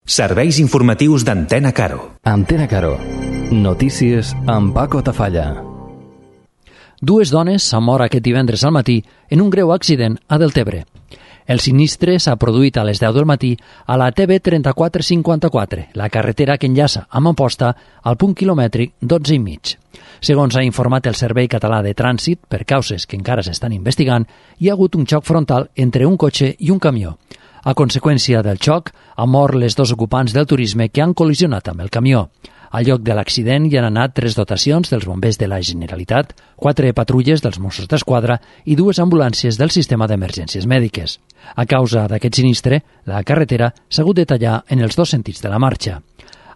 Serveis informatius d'Antena Caro. Antena Caro. Notícies amb Paco Tafalla. Dues dones s'han mort aquest divendres al matí en un greu accident a Deltebre. El sinistre s'ha produït a les 10 del matí a la TB 3454, la carretera que enllaça amb Amposta al punt quilomètric 12,5. Segons ha informat el Servei Català de Trànsit, per causes que encara s'estan investigant, hi ha hagut un xoc frontal entre un cotxe i un camió. A conseqüència del xoc, han mort les dos ocupants del turisme que han col·lisionat amb el camió. Al lloc de l'accident hi han anat 3 dotacions dels bombers de la Generalitat, 4 patrulles dels Mossos d'Esquadra i 2 ambulàncies del sistema d'emergències mèdiques. A causa d'aquest sinistre, la carretera s'ha hagut de tallar en els dos sentits de la marxa.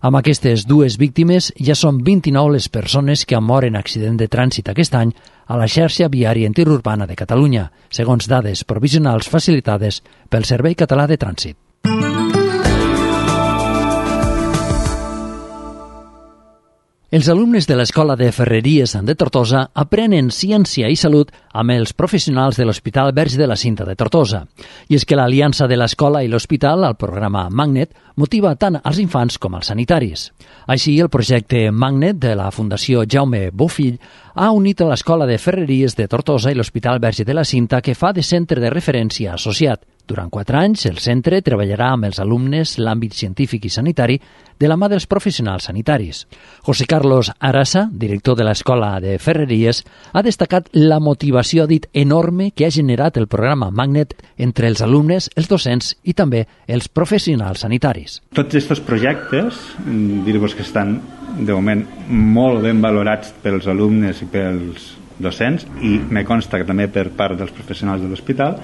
Amb aquestes dues víctimes ja són 29 les persones que han mort en accident de trànsit aquest any a la xarxa viària interurbana de Catalunya, segons dades provisionals facilitades pel Servei Català de Trànsit. Els alumnes de l'Escola de Ferreries de Tortosa aprenen ciència i salut amb els professionals de l'Hospital Verge de la Cinta de Tortosa. I és que l'aliança de l'escola i l'hospital, el programa Magnet, motiva tant als infants com als sanitaris. Així, el projecte Magnet de la Fundació Jaume Bofill ha unit a l'Escola de Ferreries de Tortosa i l'Hospital Verge de la Cinta, que fa de centre de referència associat. Durant 4 anys, el centre treballarà amb els alumnes l'àmbit científic i sanitari de la mà dels professionals sanitaris. José Carlos Arasa, director de l'Escola de Ferreries, ha destacat la motivació, dit, enorme que ha generat el programa Magnet entre els alumnes, els docents i també els professionals sanitaris. Tots aquests projectes, dir-vos que estan, de moment, molt ben valorats pels alumnes i pels docents, i me consta que també per part dels professionals de l'hospital,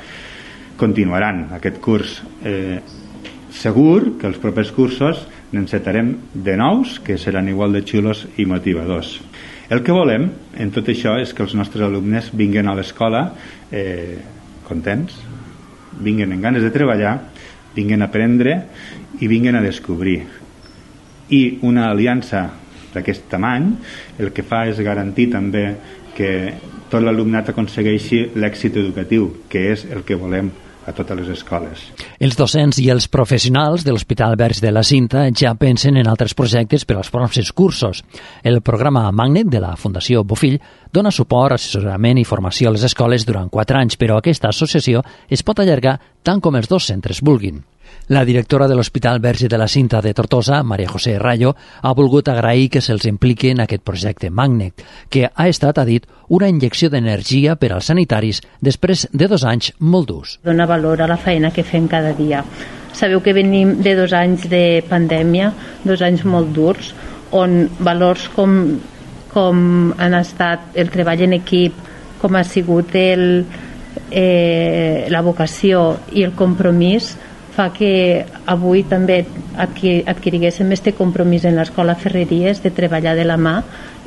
continuaran aquest curs. Segur que els propers cursos n'encetarem de nous que seran igual de xulos i motivadors. El que volem en tot això és que els nostres alumnes vinguin a l'escola contents, vinguin amb ganes de treballar, vinguin a aprendre i vinguin a descobrir. I una aliança d'aquest tamany el que fa és garantir també que tot l'alumnat aconsegueixi l'èxit educatiu, que és el que volem a totes les escoles. Els docents i els professionals de l'Hospital Verge de la Cinta ja pensen en altres projectes per als pròxims cursos. El programa Magnet de la Fundació Bofill dona suport, assessorament i formació a les escoles durant 4 anys, però aquesta associació es pot allargar tant com els dos centres vulguin. La directora de l'Hospital Verge de la Cinta de Tortosa, María José Rayo, ha volgut agrair que se'ls impliqui en aquest projecte Magnet, que ha estat, ha dit, una injecció d'energia per als sanitaris després de 2 anys molt durs. Dona valor a la feina que fem cada dia. Sabeu que venim de 2 anys de pandèmia, 2 anys molt durs, on valors com han estat el treball en equip, com ha sigut la vocació i el compromís, fa que avui també adquiriguéssim este compromís en l'Escola Ferreries de treballar de la mà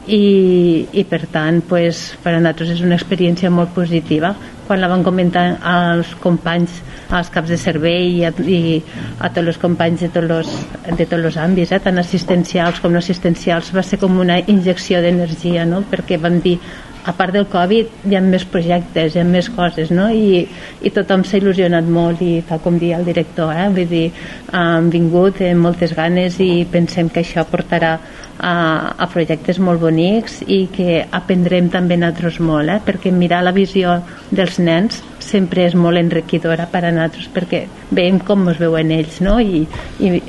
i per tant pues, per a nosaltres és una experiència molt positiva. Quan la van comentar als companys, als caps de servei i a tots els companys de tots els àmbits, tant assistencials com no assistencials, va ser com una injecció d'energia, no? Perquè van dir, a part del Covid hi ha més projectes, hi ha més coses, no? I tothom s'ha il·lusionat molt i tal com dia el director, vull dir, han vingut amb moltes ganes i pensem que això portarà a projectes molt bonics i que aprendrem també nosaltres molt, perquè mirar la visió dels nens sempre és molt enriquidora per a nosaltres perquè veiem com ens veuen ells, no? I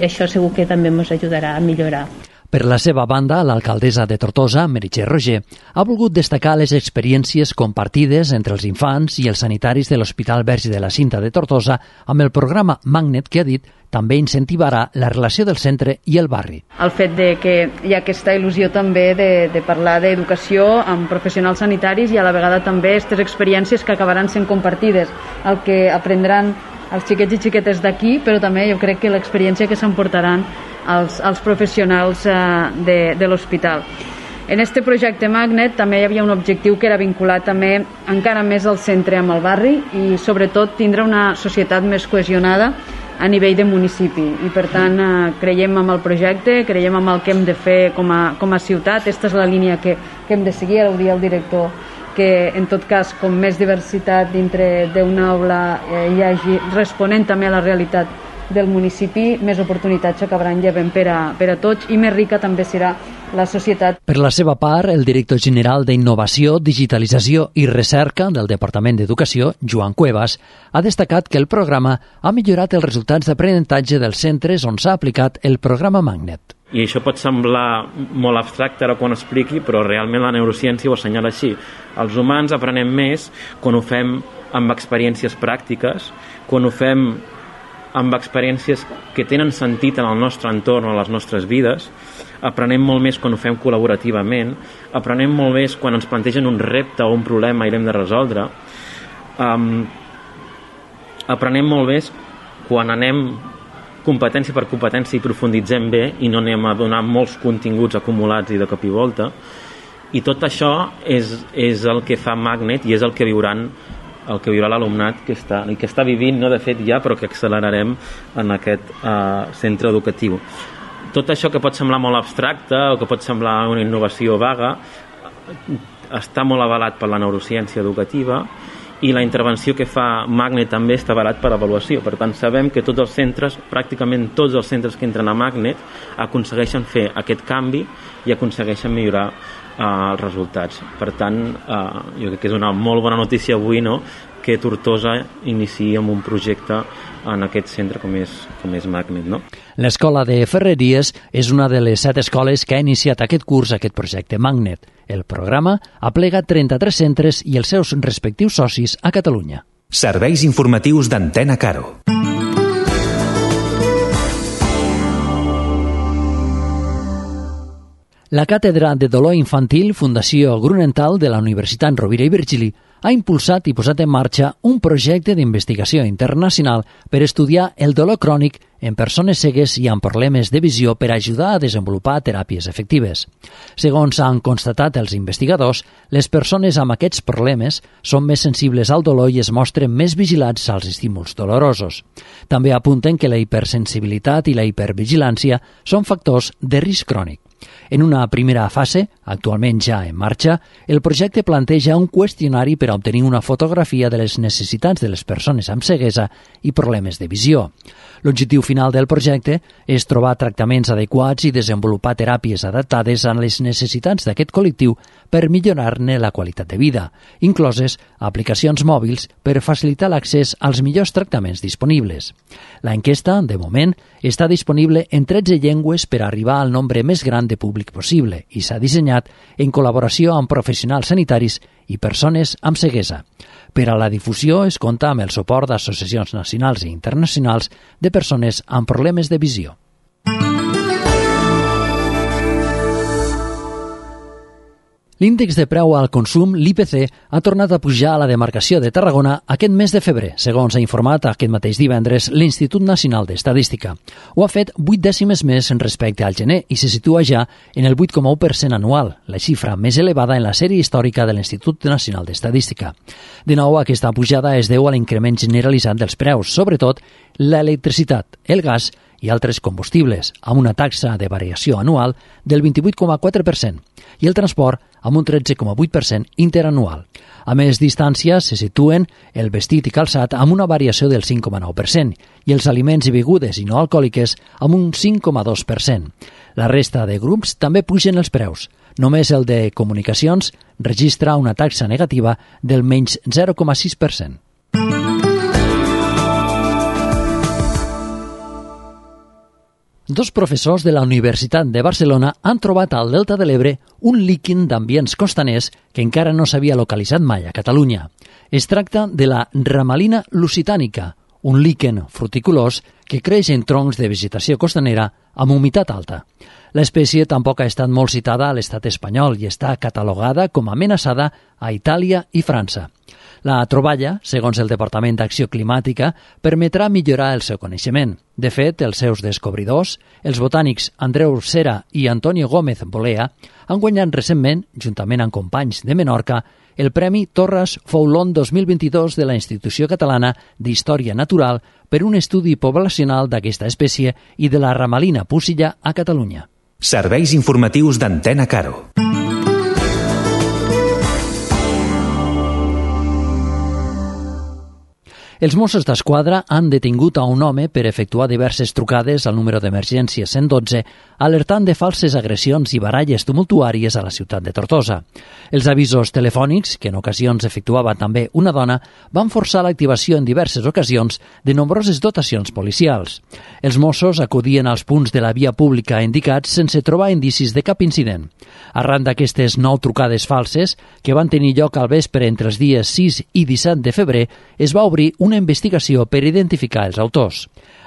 això segur que també ens ajudarà a millorar. Per la seva banda, l'alcaldessa de Tortosa, Meritxell Roger, ha volgut destacar les experiències compartides entre els infants i els sanitaris de l'Hospital Verge de la Cinta de Tortosa amb el programa Magnet, que ha dit també incentivarà la relació del centre i el barri. El fet de que hi ha aquesta il·lusió també de parlar d'educació amb professionals sanitaris i a la vegada també aquestes experiències que acabaran sent compartides, el que aprendran els xiquets i xiquetes d'aquí, però també jo crec que l'experiència que s'emportaran els professionals de l'hospital. En este projecte Magnet també hi havia un objectiu que era vinculat també encara més al centre amb el barri i sobretot tindre una societat més cohesionada a nivell de municipi i per tant creiem en el projecte, creiem en el que hem de fer com a ciutat. Aquesta és la línia que hem de seguir, ara ho dia el director, que en tot cas com més diversitat dintre d'una aula hi hagi responent també a la realitat del municipi, més oportunitats s'acabaran llevant per a tots i més rica també serà la societat. Per la seva part, el director general d'Innovació, Digitalització i Recerca del Departament d'Educació, Joan Cuevas, ha destacat que el programa ha millorat els resultats d'aprenentatge dels centres on s'ha aplicat el programa Magnet. I això pot semblar molt abstracte ara quan ho expliqui, però realment la neurociència ho assenyala així. Els humans aprenem més quan ho fem amb experiències pràctiques, quan ho fem amb experiències que tenen sentit en el nostre entorn o en les nostres vides, aprenem molt més quan ho fem col·laborativament, aprenem molt més quan ens plantegen un repte o un problema i l'hem de resoldre, aprenem molt més quan anem competència per competència i profunditzem bé i no anem a donar molts continguts acumulats i de cop i volta, i tot això és el que fa Magnet i és el que viurà l'alumnat que està vivint, no de fet ja, però que accelerarem en aquest centre educatiu. Tot això que pot semblar molt abstracte o que pot semblar una innovació vaga està molt avalat per la neurociència educativa i la intervenció que fa Magnet també està avalat per avaluació. Per tant, sabem que tots els centres, pràcticament tots els centres que entren a Magnet aconsegueixen fer aquest canvi i aconsegueixen millorar els resultats. Per tant, jo crec que és una molt bona notícia avui, no?, que Tortosa iniciï amb un projecte en aquest centre com és Magnet, no? L'Escola de Ferreries és una de les 7 escoles que ha iniciat aquest curs, aquest projecte Magnet. El programa aplega 33 centres i els seus respectius socis a Catalunya. Serveis informatius d'Antena Caro. La Càtedra de Dolor Infantil Fundació Grunenthal de la Universitat Rovira i Virgili ha impulsat i posat en marxa un projecte d'investigació internacional per estudiar el dolor crònic en persones cegues i amb problemes de visió per ajudar a desenvolupar teràpies efectives. Segons han constatat els investigadors, les persones amb aquests problemes són més sensibles al dolor i es mostren més vigilats als estímuls dolorosos. També apunten que la hipersensibilitat i la hipervigilància són factors de risc crònic. En una primera fase, actualment ja en marxa, el projecte planteja un qüestionari per a obtenir una fotografia de les necessitats de les persones amb ceguesa i problemes de visió. L'objectiu final del projecte és trobar tractaments adequats i desenvolupar teràpies adaptades a les necessitats d'aquest col·lectiu per millorar-ne la qualitat de vida, incloses aplicacions mòbils per facilitar l'accés als millors tractaments disponibles. L'enquesta, de moment, està disponible en 13 llengües per arribar al nombre més gran de públic possible i s'ha dissenyat en col·laboració amb professionals sanitaris i persones amb ceguesa. Per a la difusió es compta amb el suport d'associacions nacionals i internacionals de persones amb problemes de visió. L'índex de preu al consum, l'IPC, ha tornat a pujar a la demarcació de Tarragona aquest mes de febrer, segons ha informat aquest mateix divendres l'Institut Nacional d'Estadística. Ho ha fet 8 dècimes més respecte al gener i se situa ja en el 8,1% anual, la xifra més elevada en la sèrie històrica de l'Institut Nacional d'Estadística. De nou, aquesta pujada es deu a l'increment generalitzat dels preus, sobretot l'electricitat, el gas i altres combustibles, amb una taxa de variació anual del 28,4% i el transport amb un 13,8% interanual. A més distàncies se situen el vestit i calçat amb una variació del 5,9% i els aliments i begudes i no alcohòliques amb un 5,2%. La resta de grups també pugen els preus. Només el de comunicacions registra una taxa negativa del menys 0,6%. Dos professors de la Universitat de Barcelona han trobat al Delta de l'Ebre un líquen d'ambients costaners que encara no s'havia localitzat mai a Catalunya. Es tracta de la ramalina lusitànica, un líquen fruticulós que creix en troncs de vegetació costanera amb humitat alta. L'espècie tampoc ha estat molt citada a l'estat espanyol i està catalogada com a amenaçada a Itàlia i França. La troballa, segons el Departament d'Acció Climàtica, permetrà millorar el seu coneixement. De fet, els seus descobridors, els botànics Andreu Cera i Antonio Gómez Bolea, han guanyat recentment, juntament amb companys de Menorca, el Premi Torres Foulon 2022 de la Institució Catalana d'Història Natural per un estudi poblacional d'aquesta espècie i de la ramalina pusilla a Catalunya. Serveis informatius d'Antena Caro. Els Mossos d'Esquadra han detingut a un home per efectuar diverses trucades al número d'emergència 112, alertant de falses agressions i baralles tumultuàries a la ciutat de Tortosa. Els avisos telefònics, que en ocasions efectuava també una dona, van forçar l'activació en diverses ocasions de nombroses dotacions policials. Els Mossos acudien als punts de la via pública indicats sense trobar indicis de cap incident. Arran d'aquestes 9 trucades falses, que van tenir lloc al vespre entre els dies 6 i 17 de febrer, es va obrir una investigació per identificar els autors.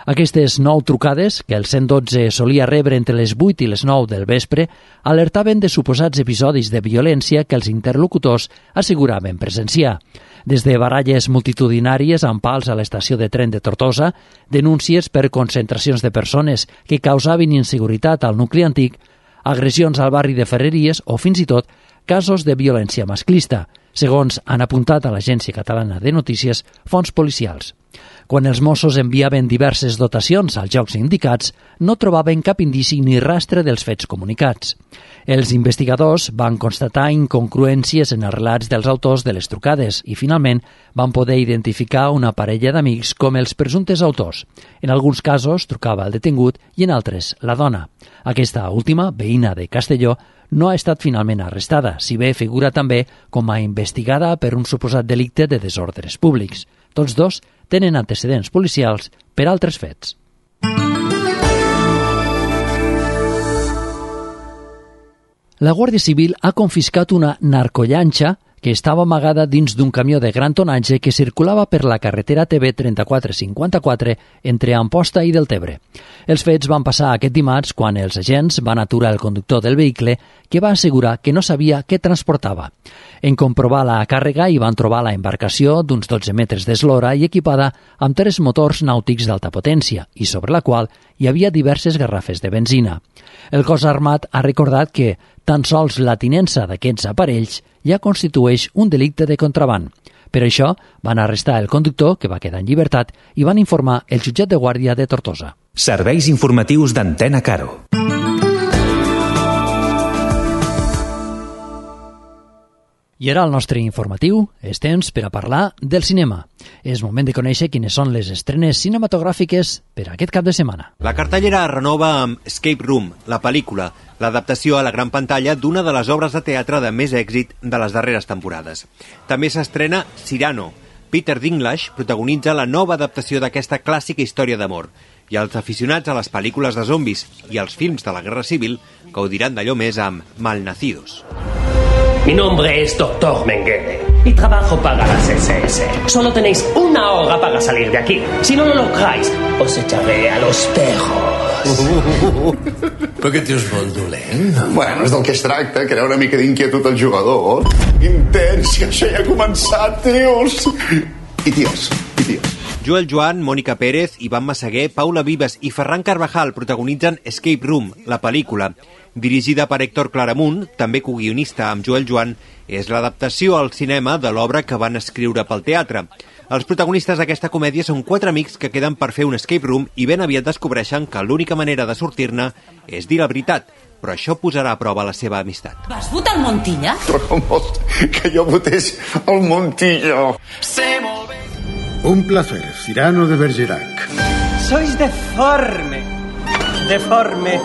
Aquestes 9 trucades, que el 112 solia rebre entre les 8 i les 9 del vespre, alertaven de suposats episodis de violència que els interlocutors asseguraven presenciar. Des de baralles multitudinàries amb pals a l'estació de tren de Tortosa, denúncies per concentracions de persones que causaven inseguretat al nucli antic, agressions al barri de Ferreries o, fins i tot, casos de violència masclista, segons han apuntat a l'Agència Catalana de Notícies fonts policials. Quan els Mossos enviaven diverses dotacions als llocs indicats, no trobaven cap indici ni rastre dels fets comunicats. Els investigadors van constatar incongruències en els relats dels autors de les trucades i, finalment, van poder identificar una parella d'amics com els presumptes autors. En alguns casos trucava el detingut i en altres la dona. Aquesta última, veïna de Castelló, no ha estat finalment arrestada, si bé figura també com a investigada per un suposat delicte de desordres públics. Tots dos tenen antecedents policials per altres fets. La Guàrdia Civil ha confiscat una narcollanxa que estava amagada dins d'un camió de gran tonatge que circulava per la carretera TB 3454 entre Amposta i Deltebre. Els fets van passar aquest dimarts quan els agents van aturar el conductor del vehicle, que va assegurar que no sabia què transportava. En comprovar la càrrega hi van trobar la embarcació d'uns 12 metres d'eslora i equipada amb 3 motors nàutics d'alta potència i sobre la qual hi havia diverses garrafes de benzina. El cos armat ha recordat que tan sols la tinença d'aquests aparells ja constitueix un delicte de contraban. Per això van arrestar el conductor, que va quedar en llibertat, i van informar el jutjat de guàrdia de Tortosa. Serveis informatius d'Antena Caro. I ara el nostre informatiu és temps per a parlar del cinema. És moment de conèixer quines són les estrenes cinematogràfiques per a aquest cap de setmana. La cartellera es renova amb Escape Room, la pel·lícula, l'adaptació a la gran pantalla d'una de les obres de teatre de més èxit de les darreres temporades. També s'estrena Cyrano. Peter Dinklage protagonitza la nova adaptació d'aquesta clàssica història d'amor. I els aficionats a les pel·lícules de zombis i als films de la Guerra Civil gaudiran d'allò més amb Malnacidos. Mi nombre es Dr. Mengele y trabajo para las SS. Solo tenéis 1 hora para salir de aquí. Si no lo lográis, os echaré a los perros. Per què tens molt dolent? Bueno, és del que es tracta, crear una mica d'inquietud al jugador. Intens, que això ja ha començat, tios. I ties. Joel Joan, Mònica Pérez, Ivan Massaguer, Paula Vives i Ferran Carvajal protagonitzen Escape Room, la pel·lícula. Dirigida per Héctor Claramunt, també coguionista amb Joel Joan, és l'adaptació al cinema de l'obra que van escriure pel teatre. Els protagonistes d'aquesta comèdia són 4 amics que queden per fer un escape room i ben aviat descobreixen que l'única manera de sortir-ne és dir la veritat, però això posarà a prova la seva amistat. ¿Vas votar Montilla? Que jo votés el Montilla. Un placer, Cyrano de Bergerac. Sois deforme. Deforme.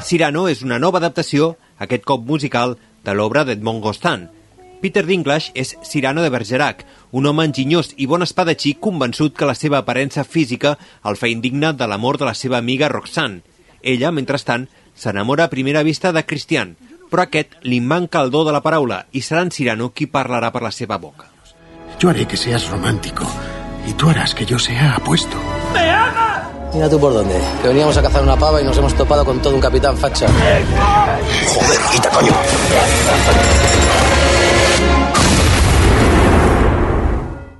Cyrano és una nova adaptació, aquest cop musical, de l'obra d'Edmond Rostand. Peter Dinklage és Cyrano de Bergerac, un home enginyós i bon espadatxí convençut que la seva aparença física el fa indigne de l'amor de la seva amiga Roxanne. Ella, mentrestant, s'enamora a primera vista de Christian, però aquest li manca el do de la paraula i serà en Cyrano qui parlarà per la seva boca. Yo haré que seas romántico y tú harás que yo sea apuesto. ¡Me ama! Mira tú por dónde, que veníamos a cazar una pava y nos hemos topado con todo un capitán facha. Joder, quita, coño.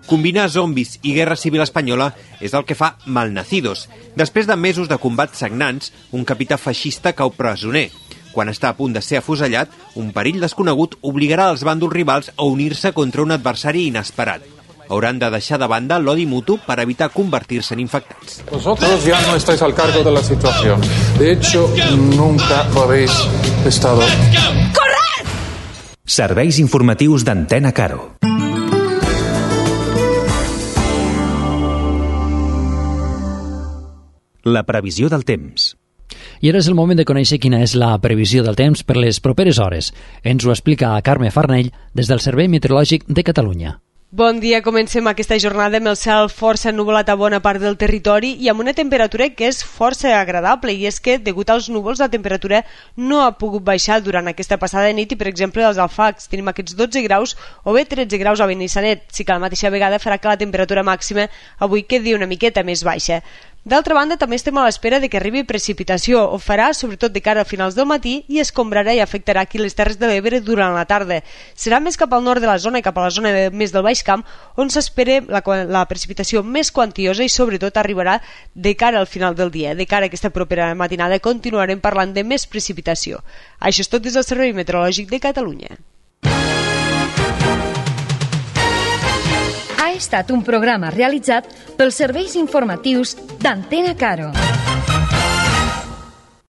Combinar zombis i guerra civil espanyola és el que fa Malnacidos. Després de mesos de combats sagnants, un capità feixista cau presoner. Quan està a punt de ser afusellat, un perill desconegut obligarà els bàndols rivals a unir-se contra un adversari inesperat. Hauran de deixar de banda l'odi mutu per evitar convertir-se en infectats. Vosotros ya no estáis al cargo de la situación. De hecho, nunca lo habéis estado. ¡Corred! Serveis informatius d'Antena Caro. La previsió del temps. I ara és el moment de conèixer quina és la previsió del temps per les properes hores. Ens ho explica Carme Farnell des del Servei Meteorològic de Catalunya. Bon dia, comencem aquesta jornada amb el cel força ennuvolat a bona part del territori i amb una temperatura que és força agradable, i és que, degut als núvols, la temperatura no ha pogut baixar durant aquesta passada nit i, per exemple, als Alfacs tenim aquests 12 graus o bé 13 graus a Benissanet, sí que a la mateixa vegada farà que la temperatura màxima avui quedi una miqueta més baixa. D'altra banda, també estem a l'espera de que arribi precipitació. Ho farà sobretot de cara a finals del matí i escombrarà i afectarà aquí les Terres de l'Ebre durant la tarda. Serà més cap al nord de la zona i cap a la zona més del Baix Camp on s'espera la precipitació més quantiosa i sobretot arribarà de cara al final del dia. De cara a aquesta propera matinada continuarem parlant de més precipitació. Això és tot des del Servei Meteorològic de Catalunya. Ha estat un programa realitzat pels serveis informatius d'Antena Caro.